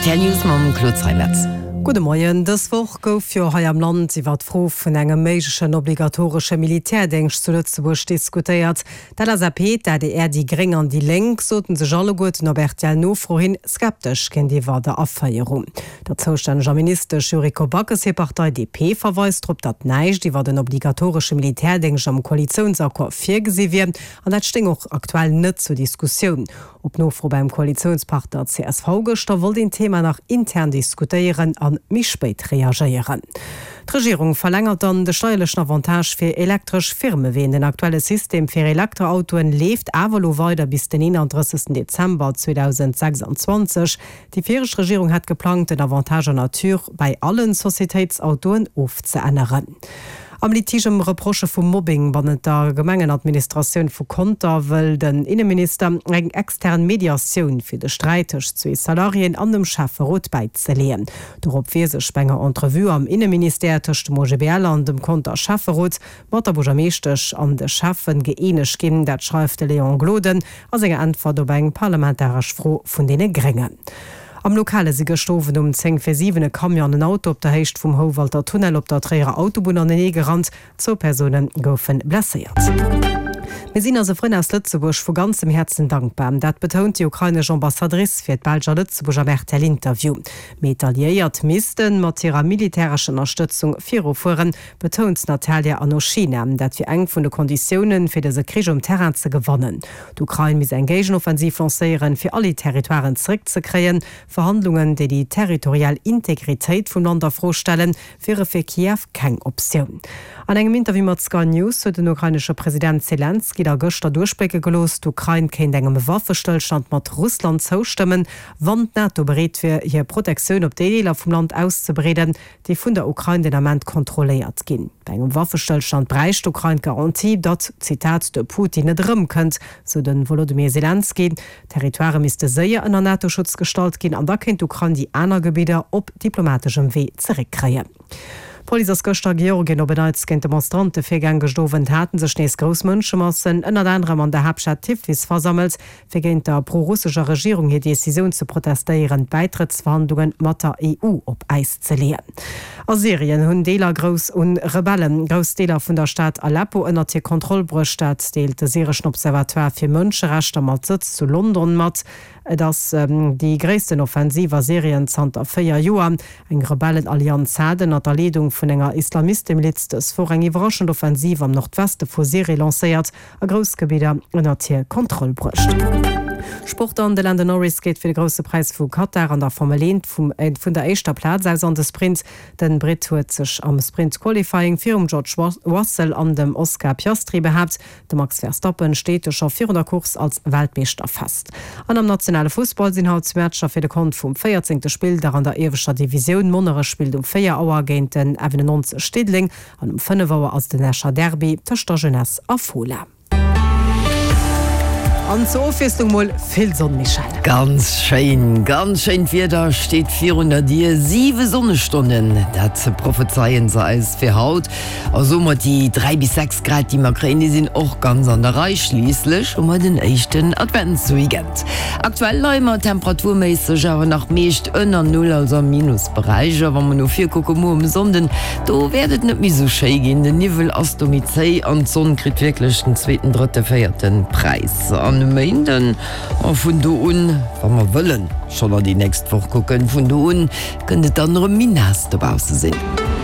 Rtl News mam Claude Zeimetz. Gudde Moien. Dës Woch gouf jo hei am Land iwwer d'Fro vun engem méiglechen obligatoresche Militärdéngscht zu Lëtzebuerg diskutéiert. D'LSAP, d'ADR, déi Gréng an déi Lénk soten sech alleguerten op RTL-Nofro hin skeptesch géintiwwer der Aféierung. Der zoustänneger Ministesch Yuriko Backes hir Partei DP verweist drop, datt näischt iwwer en obligatoresche Militärdéngscht am Koalitiounsaccord virgesi wier an dat stéing och aktuell net zur Diskussioun. Op Nofro beim Koalitiounspartner csv gëschter wollt een d'Thema nach intern diskutéieren a méi spéit reagéieren. D'Regierung verlängert dann de steierlechen Avantage fir elektresch Firmeween. Den aktuelle System fir Elektroautoen leeft awer elo weider bis den 31 Dezember 2026. Déi viregt Regierung hat geplangt, den Avantage en nature bäi allen Societéitsautoen ofzeänneren. Am Litige ëm Reprochë vu Mobbing bannent der Gemengenadministratioun vu Conter wëll den Inneminister eng extern Mediatioun fir de Sträit tëscht zwee Salariéen an dem Schäfferot bäizeleeën. Dorop wier sech bei enger Entrevue am Inneministère tëscht dem OGBL an dem Conter Schäfferot mat der Buergermeeschtesch an de Schäffen gëeenegt ginn. Dat schreift de Léon Gloden a senger Äntwert op eng parlamentaresch Fro vun deene Gréngen. Am Lokale si gëscht Owend um 10 vir 7 e Camion an en Auto op der Héicht vum Houwalter Tunnel op der Tréierer Autobunn anenee gerannt. Zwou Persoune goufe blesséiert. Mir sinn eise Frënn aus Lëtzebuerg vu ganzem Häerzen dankbar. Dat betount déi ukrainesch Ambassadrice fir d'Belsch a Lëtzebuerg am RTL-Interview. Mee d'Alliéiert misste mat hirer militärescher Ënnerstëtzung virufueren, betount d'Natalia Anoschina. Dat wier eng vun de Konditiounen, fir dëse Krich um Terrain ze gewannen. D'Ukrain misst eng Géigenoffensiv lancéieren, fir all déi Territoiren zeréckzekréien. Verhandlungen, déi déi territorial Integritéit vum Land a Fro stellen, wiere fir Kiew keng Optioun. An engem Interview mat Sky News huet den ukrainesche President Selenskyj da gëschter duerchblécke gelooss, d'Ukrain kéint engem Waffestëllstand mat Russland zoustëmmen, wann d'NATO bereet wier, hir Protektioun op déi Deeler vum Land auszebreeden, déi vun der Ukrain den Ament kontrolléiert ginn. Bei engem Waffestëllstand bräicht d'Ukrain d'Garantie, datt, Zitat, de Putin net erëmkënnt, sou de Wolodymyr Selenskyj. D'Territoirë misste séier ënner NATO-Schutz gestallt ginn an da kéint d'Ukrain déi aner Gebidder op diplomateschem Wee zeréckkréien. D'Police ass gëschter a Georgien op en Neits géint Demonstrante virgaang. Gëscht Owend hate sech nees grouss Mënschemassen, ënnert anerem an der Haaptstad Tiflis, versammelt. fir géint der pro-russescher Regierung hir Decisioun ze protestéieren, d'Bäitrëttsverhandlunge mat der EU op Äis ze leeën. A Syrien hunn Deeler grouss un Rebellen grouss Deeler vun der Stad Aleppo ënnert hir Kontroll bruecht. Dat deelt de syreschen Observatoire fir Mënscherechter mat Sëtz zu London mat. Et ass déi gréissten Offensiv a Syrien zanter 4 Joer. Eng Rebellenallianz hat ënnert der Leedung vun enger Islamistemiliz dës Woch eng iwwerraschend Offensiv am Nordweste vu Syrie lancéiert. a grouss Gebidder ënnert hir Kontroll bruecht. Sport An de Lando Norris geet fir de Grousse Präis vu Katar an der Formel 1 vun der éischter Plaz aus an de Sprint. Den Britt huet sech am Sprint Qualifying virum George Russell an dem Oscar Piastri behaapt. De Max Verstappen steet scho virun der Course als Weltmeeschter fest. An am nationale Fussball sinn haut Matcher fir de Kont vum 14. Spilldag an der ieweschter Divisioun. Monnerech spillt um 4 Auer géint den F91 Diddeleng. An um 5 Auer ass den Escher Derby tëscht der Jeunesse a Fola. An zur Ofwiesslung mol vill Sonn, Michèle. Ganz schéin, ganz schéint Wieder steet virun der Dier. 7 Sonnestonnen, dat prophezeien se eis fir haut. A soe mer, déi 3 bis 6 Grad, déi mer kréien, déi sinn och ganz an der Rei. Schliisslech hu mer den éischten Adventsweekend. Aktuell leie mer temperaturméisseg awer nach meescht ënner Null, also am Minusberäich. A wa mer no vir kucke, muer um Sonnden, Do wäert et net méi sou schéi ginn, den Niwwel ass do méi zéi an d'Sonn kritt wierklech den zweeten, drëtte, véierte Präis. An e Méinden, a vun do un, wa mer wëllen schonn an déi nächst Woch kucken, vun do un kënnt et dann erëm méi naass dobausse sinn.